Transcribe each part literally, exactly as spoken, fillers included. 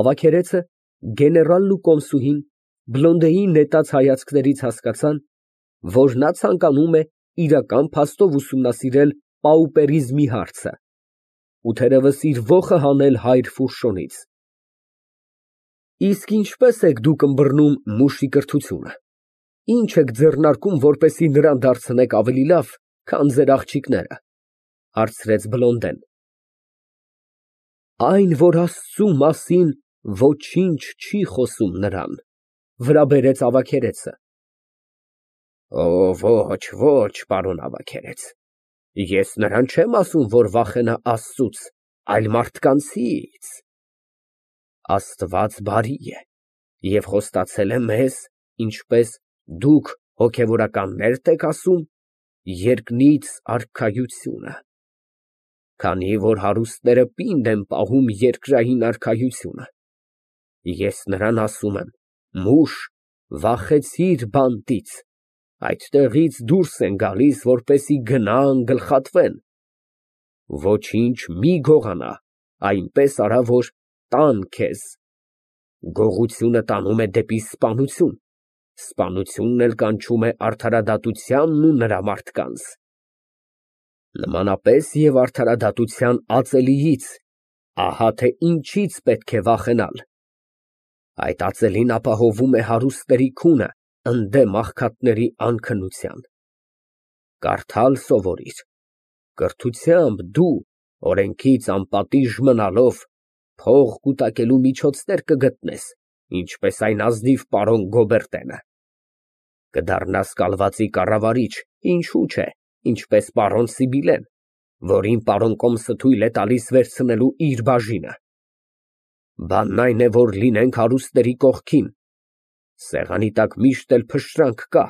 Ավագերեցը, գեներալն ու կոմսուհին բլոնդեի նետած հայացքներից հասկացան, որ նա ցանկանում է իրական փաստով ուսումնասիրել պաուպերիզմի հարցը ու թերևս իր ոխը հանել հայր Ֆուրշոնից։ Իսկ ինչպե՞ս եք դուք ըմբռնում մուշի կրթությունը, ինչ եք ձեռնարկում, որպեսզի նրան դարձնեք ավելի լավ, քան ձեր աղջիկները, ֊ հարցրեց բլոնդեն։ Այն, որ Աստծու մասին ոչինչ չի խոսում նրան, ֊ վրա բերեց ավագերեցը։ Ոչ, ոչ, պարոն ավագերեց, ես նրան չեմ ասում, որ վախենա Աստծուց, այլ մարդկանցից։ Աստված բարի է և խոստացել է մեզ, ինչպես դուք հոգևորականներդ եք ասում, երկնից արքայությունը, քանի որ հարուստները պինդ են պահում երկրային արքայությունը։ Ես նրան ասում եմ. մուշ, վախեցիր բանտից, այդտեղից դուրս են գալիս, որպեսզի գնան, գլխատվեն։ Ոչինչ մի գողանա, այնպես արա, որ տան քեզ։ Գողությունը տանում է դեպի սպանություն, սպանությունն էլ կանչում է արդարադատությանն ու նրա մարդկանց։ Նմանապես և արդարադատության ածելիից, ահա թե ինչից պետք է վախենալ։ Այդ ածելին ապահովում է հարուստների քունը ընդդեմ աղքատների անքնության։ Կարդալ սովորիր, կրթությամբ դու, օրենքից անպատիժ մնալով, փող կուտակելու միջոցներ կգտնես, ինչպես այն ազնիվ պարոն Գոբերտենը։ Կդառնաս կալվածի կառավարիչ, ինչու չէ, ինչպես պարոն Սիբիլեն, որին պարոն Կոմսը թույլ է տալիս վերցնելու իր բաժինը։ Բանն այն է, որ լինենք հարուստների կողքին, սեղանի տակ միշտ էլ փշրանք կա։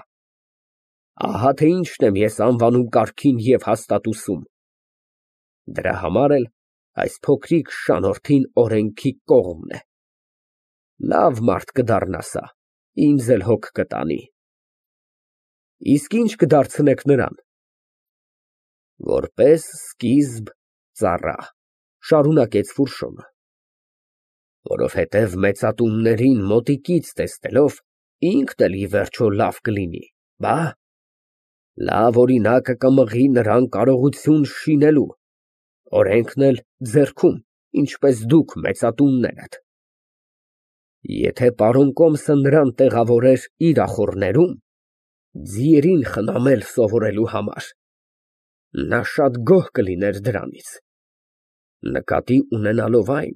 Ահա թե ինչն եմ ես անվանում կարգին և հաստատություն։ Դրա համար էլ այս փոքրիկ շանոթին օրենքի կողմն է։ Լավ մարդ կդառնասա, ինձ էլ հոգ կտանի։ Իսկ ի՞նչ կդարձնեք նրան։ Որպես սկիզբ, ծառա, շարունակեց Ֆուրշոնը, որովհետև մեծատուններին մոտիկից տեսնելով, ինքն էլ ի վերջո լավ կլինի, բա։ Լավ օրինակը կմղի նրան կարողություն շինելու, օրենքն էլ ձեռքում, ինչպես դուք մեծատուններդ։ Եթե պարոն Կոմսը նրան տեղավորեր իր ախոռներում, ձիերին խնամել սովորելու համար, նա շատ գոհ կլիներ դրանից, նկատի ունենալով այն,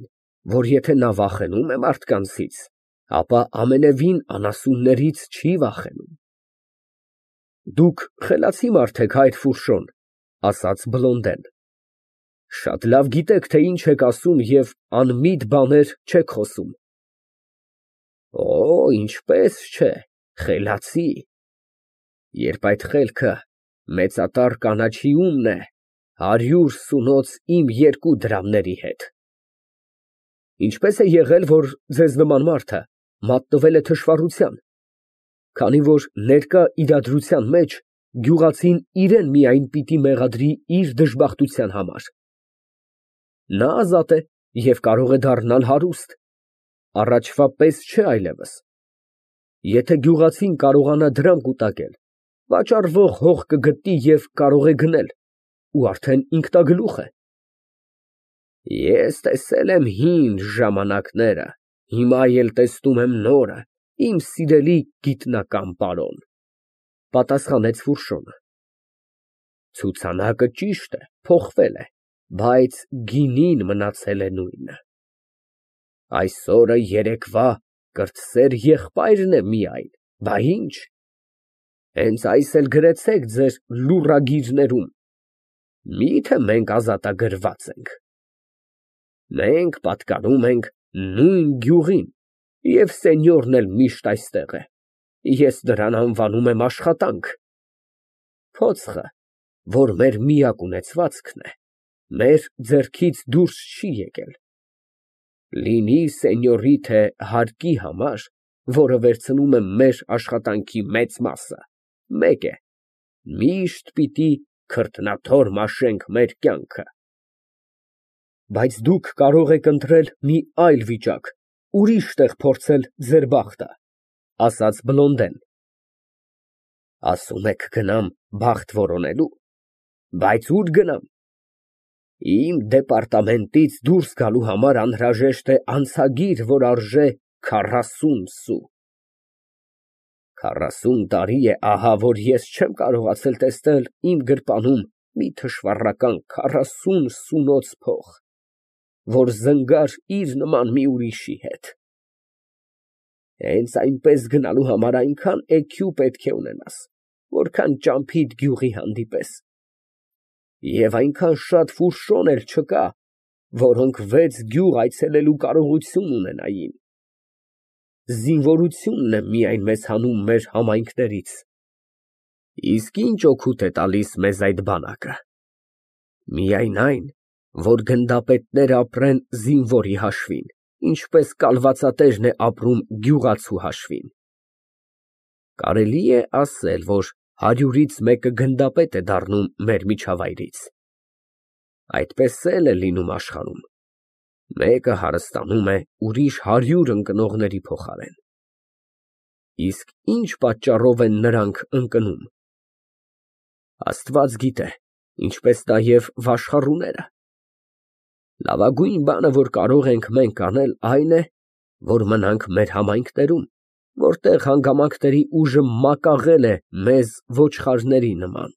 որ եթե նա վախենում է մարդկանցից, ապա ամենևին անասուններից չի վախենում։ Դուք խելացի մարդ եք, հայր Ֆուրշոն, ասաց բլոնդեն, շատ լավ գիտեք, թե ինչ եք ասում և անմիտ բաներ չեք խոսում։ Օ, ինչպես չէ, խելացի, երբ այդ խելքը մեծատառ կանաչիումն է, հարյուր սունոց իմ երկու դրամների հետ։ Ինչպե՞ս է եղել, որ ձեզ նման մարդը մատնվել է թշվառության, քանի որ ներկա իրադրության մեջ գյուղացին իրան միայն պիտի մեղադրի իր դժբախտության համար։ Նա ազատ է և կարող է դառնալ հարուստ, առաջվա պես չէ այլևս։ Եթե գյուղացին կարողանա դրամ կուտակել, վաճառվող հող կգտնի և կարող է գնել, ու արդեն ինքնագլուխ է։ Ես տեսել եմ հին ժամանակները, հիմա էլ տեսնում եմ նորը, իմ սիրելի գիտնական պարոն, ֊ պատասխանեց Ֆուրշոնը։ Ցուցանակը ճիշտ է, փոխվել է, բայց գինին մնացել է նույնը։ Այսօրը երեկվա կրտսեր եղբայրն է միայն, բա ինչ, հենց այս էլ գրեցեք ձեր լուռագիրներում, մի՞թե մենք ազատագրված ենք։ Մենք պատկանում ենք նույն գյուղին, և սենյորն էլ միշտ այստեղ է, ես դրան անվանում եմ աշխատանք։ Փոցխը, որ մեր միակ ունեցվածքն է, մեր ձեռքից դուրս չի եկել։ Լինի սենյորի թե հարկի համար, որը վերցնում է մեր աշխատանքի մեծ մասը, մեկ է, միշտ պիտի քրտնաթոր մաշենք մեր կյանքը։ Բայց դուք կարող եք ընտրել մի այլ վիճակ, ուրիշ տեղ փորձել ձեր բախտը, ասաց Բլոնդեն։ Ասում եք գնամ բախտ որոնելու, բայց ո՞ւր գնամ։ Իմ դեպարտամենտից դուրս գալու համար անհրաժեշտ է անցագիր, որ արժե քառասուն սու։ Քառասուն տարի է ահա, որ ես չեմ կարողացել տեսնել իմ գրպանում մի թշվառական քառասուն սունոց փող, որ զնգար իր նման մի ուրիշի հետ։ Հենց այնպես գնալու համար այնքան էգ պետք է ունենաս, որքան ճամփիդ գյուղի հանդիպես, և այնքան շատ ֆուրշոն էլ չկա, որոնք վեց գյուղ այցելելու կարողություն ունենային։ Զինվորությունն է միայն մեզ հանում մեր համայնքներից։ Իսկ ինչ օգուտ է տալիս մեզ այդ բանակը։ Միայն այն, որ գնդապետները ապրեն զինվորի հաշվին, ինչպես կալվածատերն է ապրում գյուղացու հաշվին։ Կարելի է ասել, որ հարյուրից մեկը գնդապետ է դառնում մեր միջավայրից։ Այդպես էլ է լինում աշխարհում։ Մեկը հարստանում է ուրիշ հարյուր ընկնողների փոխարեն։ Իսկ ինչ պատճառով են նրանք ընկնում։ Աստված գիտե, ինչպես նաև վաշխառուները։ Լավագույն բանը, որ կարող ենք մենք անել, այն է, որ մնանք մեր համայնքներում, որտեղ հանգամանքների ուժը մակաղել է մեզ ոչխարների նման,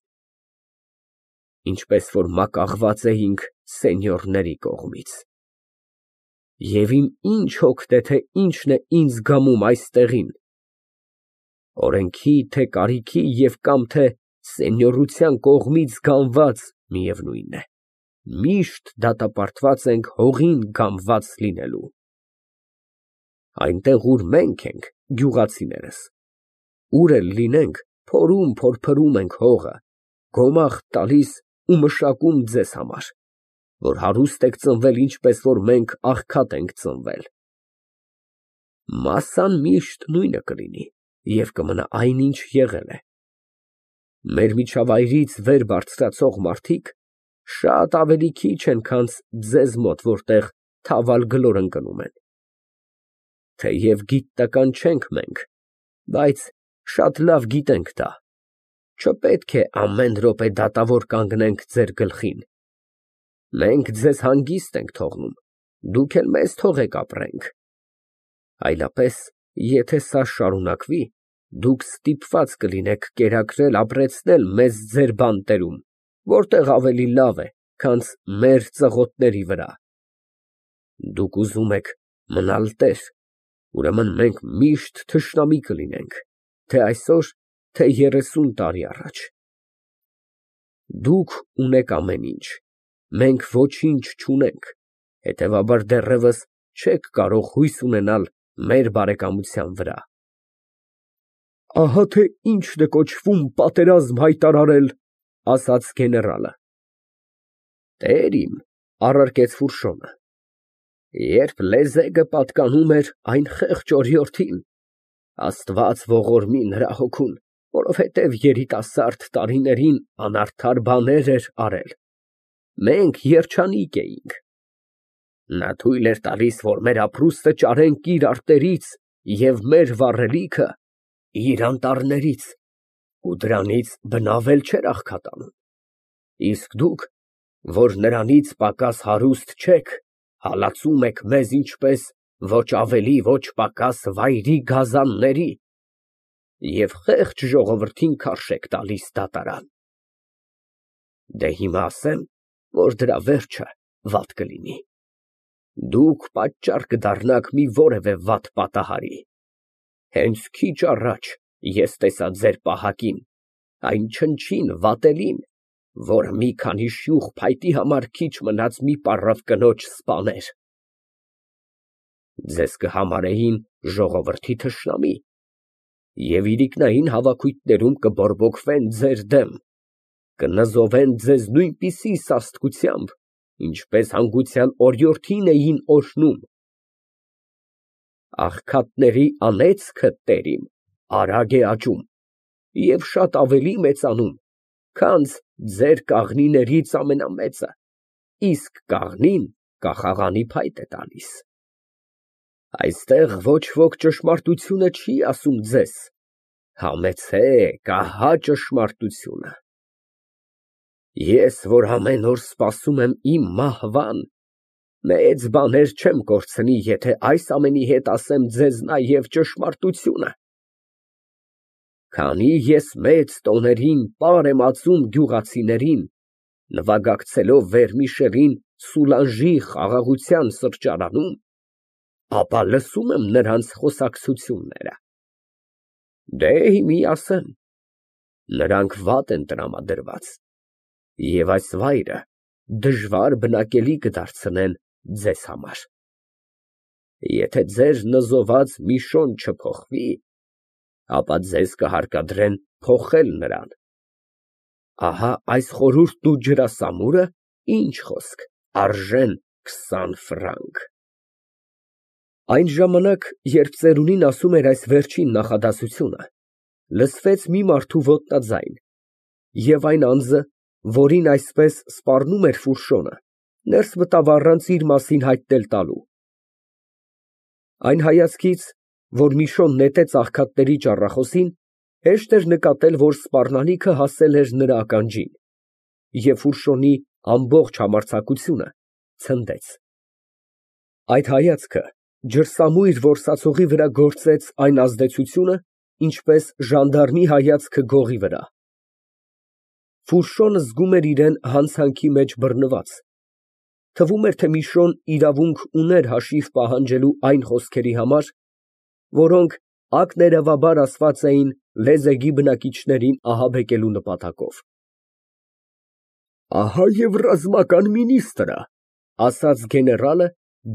ինչպես որ մակաղված էինք սենյորների կողմից։ Եվ իմ ինչ հոգ թե ինչն է ինձ գամում այստեղին, օրենքի, թե կարիքի և կամ թե սենյորության կողմից գանված միևնույն է, միշտ դատապարտված ենք հողին գամված լինելու։ Այնտեղ, ուր մենք ենք, գյուղացիներս, ուր էլ լինենք, փորում փորփրում ենք հողը, գոմաղ տալիս ու մշակում ձեզ համար, որ հարուստ եք ծնվել, ինչպես որ մենք աղքատ ենք ծնվել։ Մասսան միշտ նույնը կլինի և կմնա այնինչ եղել է։ Մեր միջավայրից վեր բարձրացող մարդիկ շատ ավելի քիչ են, քան ձեզ մոտ, որտեղ թավալ գլոր ընկնում են։ Թեև գիտնական չենք մենք, բայց շատ լավ գիտենք դա, չպետք է ամեն րոպե դատավոր կանգնենք ձեր գլխին։ Մենք ձեզ հանգիստ ենք թողնում, դուք էլ մեզ թողեք ապրենք։ Այլապես, եթե սա շարունակվի, դուք ստիպված կլինեք կերակրել ապրեցնել մեզ ձեր բանտերում, որտեղ ավելի լավ է, քան մեր ծղոտների վրա։ Դուք ուզում եք մնալ տեր, ուրեմն մենք միշտ թշնամի կլինենք, թե այսօր, թե երեսուն տարի առաջ։ Դուք ունեք ամեն ինչ, մենք ոչինչ չունենք, հետևաբար դեռևս չեք կարող հույս ունենալ մեր բարեկամության վրա։ Ահա թե ինչն է կոչվում պատերազմ հայտարարել, ասաց գեներալը։ Տեր իմ, առարկեց Ֆուրշոնը, երբ լեզեգը պատկանում էր այն խեղճ օրիորդին, Աստված ողորմի նրա հոգուն, որովհետև երիտասարդ տարիներին անարդար բաներ էր արել, մենք երջանիկ էինք։ Նա թույլ էր տալիս, որ մեր ապրուստը ճարենք իր արտերից և մեր վառելիքը իր անտառներից, ու դրանից բնավ էլ չէր աղքատանում։ Իսկ դուք, որ նրանից պակաս հարուստ չեք, հալածում եք մեզ ինչպես ոչ ավելի, ոչ պակաս վայրի գազանների և խեղճ ժողովրդին քարշ եք տալիս դատարան։ Դե հիմա ասեմ, որ դրա վերջը վատ կլինի։ Դուք պատճառ կդառնաք մի որևէ վատ պատահարի։ Հենց քիչ առաջ ես տեսա ձեր պահակին, այն չնչին վատելին, որը մի քանի շյուխ փայտի համար քիչ մնաց մի պառավ կնոջ սպաներ։ Ձեզ կհամարեին ժողովրդի թշնամի և իրիկնային հավաքույթներում կբորբոքվեն ձեր դեմ, կնզովեն ձեզ նույնպիսի սաստկությամբ, ինչպես հանգուցյալ օրիորդին էին օրհնում։ Աղքատների անեծքը, տեր իմ, արագ է աճում և շատ ավելի մեծանում, քան ձեր կաղնիներից ամենամեծը, իսկ կաղնին կախաղանի փայտ է տալիս։ Այստեղ ոչ ոք ճշմարտությունը չի ասում ձեզ, համեցեք, ահա ճշմարտությունը։ Ես, որ ամեն օր սպասում եմ իմ մահվան, մեծ բաներ չեմ կորցնի, եթե այս ամենի հետ ասեմ ձեզ նաև ճշմարտությունը։ Քանի ես մեծ տոներին պար եմ ածում գյուղացիներին, նվագակցելով Վերմիշելին Սուլանժի խաղաղության սրճարանում, ապա լսում եմ նրանց խոսակցությունները։ Դե մի ասեմ, նրանք վատ են տրամադրված, և այս վայրը դժվար բնակելի կդարձնեն ձեզ համար։ Եթե ձեր նզոված Միշոն չփոխվի, ապա ձեզ կհարկադրեն փոխել նրան։ Ահա այս խորհուրդն ու ջրասամուրը, ինչ խոսք, արժեն քսան ֆրանկ։ Այն ժամանակ, երբ ծերունին ասում էր այս վերջին նախադասությունը, լսվեց մի մարդու ոտնաձայն, և այն անձը, որին այսպես սպառնում էր Ֆուրշոնը, ներս մտավ առանց իր մասին հայտնել տալու։ Այն հայացքից, որ Միշոն նետեց աղքատների ճառախոսին, հեշտ էր նկատել, որ սպառնալիքը հասել էր նրա ականջին, և Ֆուրշոնի ամբողջ համարձակությունը ցնդեց։ Այդ հայացքը ջրսամույր որսացողի վրա գործեց այն ազդեցությունը, ինչպես ժանդարմի հայացքը գողի վրա։ Ֆուրշոնը զգում էր իրան հանցանքի մեջ բռնված, թվում էր, թե Միշոն իրավունք ուներ հաշիվ պահանջելու այն խոսքերի համար, որոնք ակներևաբար ասված էին լեզեգի բնակիչներին ահաբեկելու նպատակով։ Ահա և ռազմական մինիստրը, ասաց գեներալը,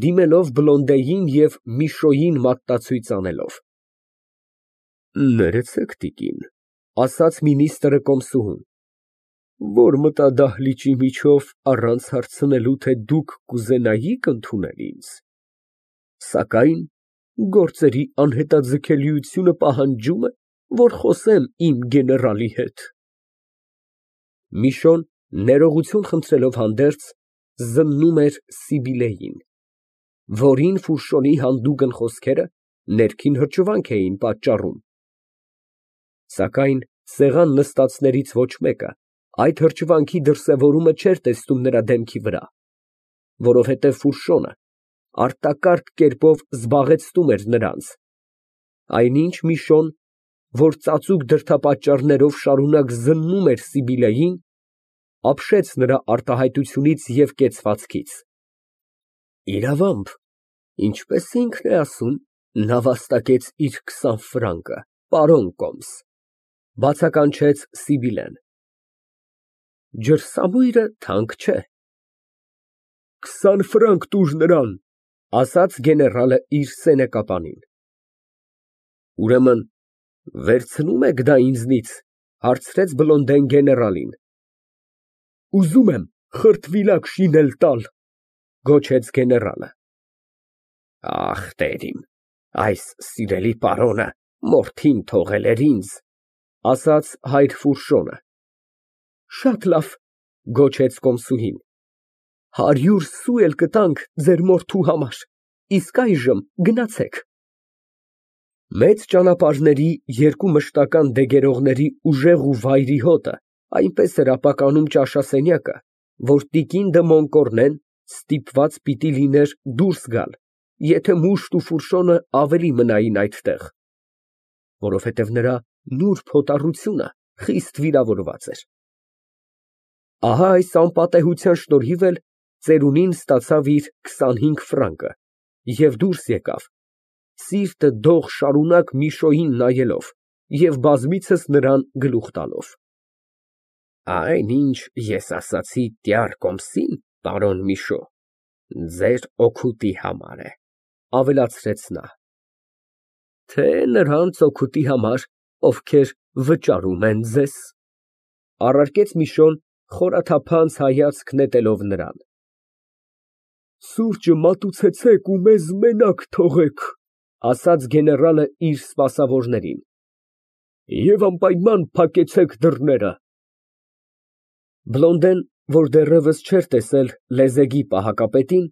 դիմելով Բլոնդեին և Միշոյին մատնացույց անելով։ Ներեցեք, տիկին, ասաց մինիստրը կոմսուհուն, որ մտա դահլիճի միջով առանց հարցնելու, թե դուք կուզենայի՞ք ընդունել ինձ, սակայն գործերի անհետաձգելիությունը պահանջում է, որ խոսեմ իմ գեներալի հետ։ Միշոն, ներողություն խնդրելով հանդերձ, զննում էր Սիբիլեին, որին Ֆուրշոնի հանդուգն խոսքերը ներքին հրճվանք էին պատճառում։ Սակայն սեղան նստածներից ոչ մեկը այդ հրճվանքի դրսևորումը չէր տեսնում նրա դեմքի վրա, որովհետև Ֆուրշոնը արտակարգ կերպով զբաղեցնում էր նրանց, այնինչ Միշոն, որ ծածուկ դրդապատճառներով շարունակ զննում էր Սիբիլեին, ապշեց նրա արտահայտությունից և կեցվածքից։ Իրավամբ, ինչպես ինքն է ասում, նա վաստակեց իր քսան ֆրանկը, պարոն կոմս, բացականչեց Սիբիլեն։ Ջրսամույրը թանկ չէ։ Քսան ֆրանկ տուր նրան, ասաց գեներալը իր սենեկապանին։ Ուրեմն վերցնո՞ւմ եք դա ինձնից, հարցրեց Բլոնդեն գեներալին։ Ուզում եմ խրտվիլակ շինել տալ, գոչեց գեներալը։ Ախ, տեր իմ, այս սիրելի պարոնը մորթին թողել էր ինձ, ասաց հայր Ֆուրշոնը։ Շատ լավ, գոչեց կոմսուհին, հարյուր սու էլ կտանք ձեր մորթու համար, իսկ այժմ գնացեք։ Մեծ ճանապարհների երկու մշտական դեգերողների ուժեղ ու վայրի հոտը այնպես էր ապականում ճաշասենյակը, որ տիկին դը Մոնկորնեն ստիպված պիտի լիներ դուրս գալ, եթե մուշտ ու Ֆուրշոնը ավելի մնային այդտեղ, որովհետև նրա նուրբ հոտառությունը խիստ վիրավորված էր։ Ահա այս անպատեհության շնորհիվ էլ ծերունին ստացավ իր քսանհինգ ֆրանկը և դուրս եկավ, սիրտը դող շարունակ Միշոյին նայելով և բազմիցս նրան գլուխ տալով։ Այն, ինչ ես ասացի տյար կոմսին, պարոն Միշո, ձեր օգուտի համար է, ավելացրեց նա, թե նրանց օգուտի համար, ովքեր վճարում են ձեզ, առարկեց Միշոն, խորաթափանց հայացք նետելով նրան։ Սուրճը մատուցեցեք ու մեզ մենակ թողեք, ասաց գեներալը իր սպասավորներին, և անպայման փակեցեք դռները։ Բլոնդեն, որ դեռևս չէր տեսել լեզեգի պահակապետին,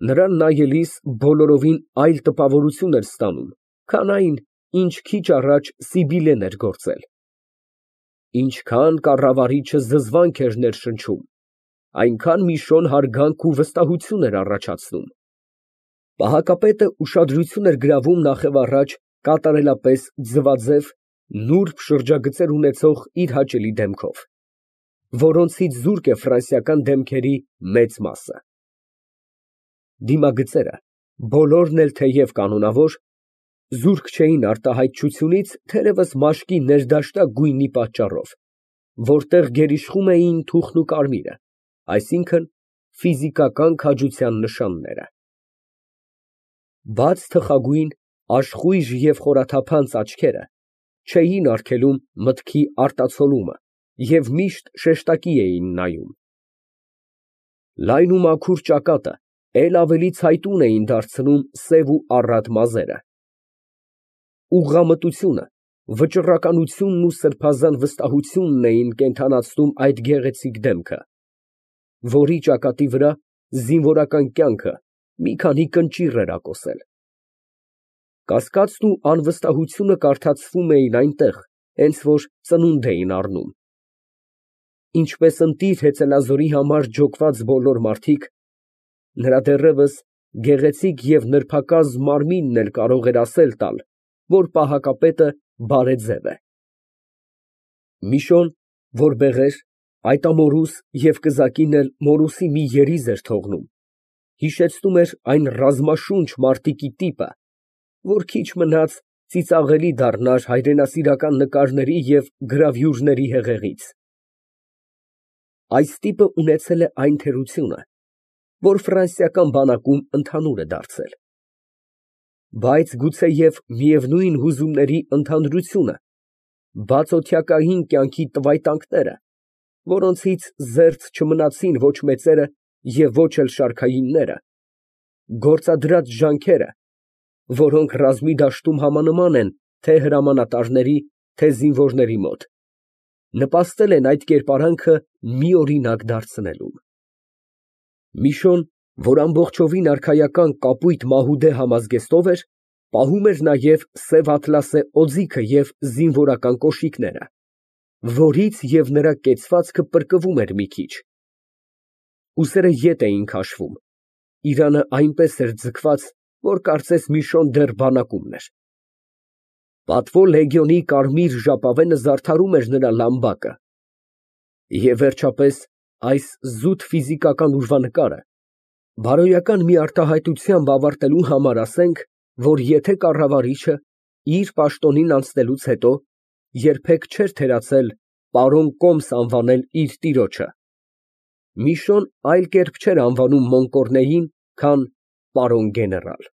Նրան նայելիս բոլորովին այլ տպավորություն էր ստանում, քան այն, ինչ քիչ առաջ Սիբիլեն էր գործել։ Ինչքան կառավարիչը զզվանք էր ներշնչում, այնքան Միշոն հարգանք ու վստահություն էր առաջացնում։ Պահակապետը ուշադրություն էր գրավում նախևառաջ կատարելապես ձվաձև, նուրբ շրջագծեր ունեցող իր հաճելի դեմքով, որոնցից զուրկ է ֆրանսիական դեմքերի մեծ մասը։ Դիմագծերը, բոլորն էլ թեև կանոնավոր, զուրկ չէին արտահայտչությունից, թերևս մաշկի ներդաշնակ գույնի պատճառով, որտեղ գերիշխում էին թուխն ու կարմիրը, այսինքն՝ ֆիզիկական քաջության նշանները։ Բաց թխագույն, աշխույժ և խորաթափանց աչքերը չէին արգելում մտքի արտացոլումը և միշտ շեշտակի էին նայում։ Լայն ու մաքուր ճակատը էլ ավելի ցայտուն էին դարձնում սև ու առատ մազերը։ Ուղղամտությունը, վճռականությունն ու սրբազան վստահությունն էին կենդանացնում այդ գեղեցիկ դեմքը, որի ճակատի վրա զինվորական կյանքը մի քանի կնճիռ էր ակոսել։ Կասկածն ու անվստահությունը կարդացվում էին այնտեղ, հենց որ ծնունդ էին առնում։ Ինչպես ընտիր հեծելազորի համար ջոկված բոլոր մարդիկ, նրա դեռևս գեղեցիկ և նրբակազմ մարմինն էլ կարող էր ասել տալ, որ պահակապետը բարեձև է։ Միշոն, որ բեղեր, այդ ամորուս և կզակին էլ մորուսի մի երիզ էր թողնում, հիշեցնում էր այն ռազմաշունչ մարտիկի տիպը, որ քիչ մնաց ծիծաղելի դառնար հայրենասիրական նկարների և գրավյուրների հեղեղից։ Այս տիպը ունեցել է այն թերությունը, որ ֆրանսիական բանակում ընդհանուր է դարձել։ Բայց գուցեև միևնույն հուզումների ընդհանրությունը, բացօթյակային կյանքի տվայտանքները, որոնցից զերծ չմնացին ոչ մեծերը և ոչ էլ շարքայինները, գործադրած ջանքերը, որոնք ռազմի դաշտում համանման են թե հրամանատարների, թե զինվորների մոտ, նպաստել են այդ կերպարանքը միօրինակ դարձնելուն։ Միշոն, որ ամբողջովին արքայական կապույտ մահուդե համազգեստով էր, պահում էր նաև սև ատլասե օձիքը և զինվորական կոշիկները, որից և նրա կեցվածքը պրկվում էր մի քիչ։ Ուսերը ետ էին քաշվում, իրանը այնպես էր ձգված, որ կարծես Միշոն դեռ բանակումն էր։ Պատվո լեգիոնի կարմիր ժապավենը զարդարում էր նրա լամբակը։ Եվ վերջապես, այս զուտ ֆիզիկական ուրվանկարը բարոյական մի արտահայտությամբ ավարտելու համար ասենք, որ եթե կառավարիչը, իր պաշտոնին անցնելուց հետո, երբեք չէր թերացել պարոն կոմս անվանել իր տիրոջը, Միշոն այլ կերպ չէր անվանում Մոնկորնեին, քան պարոն գեներալ։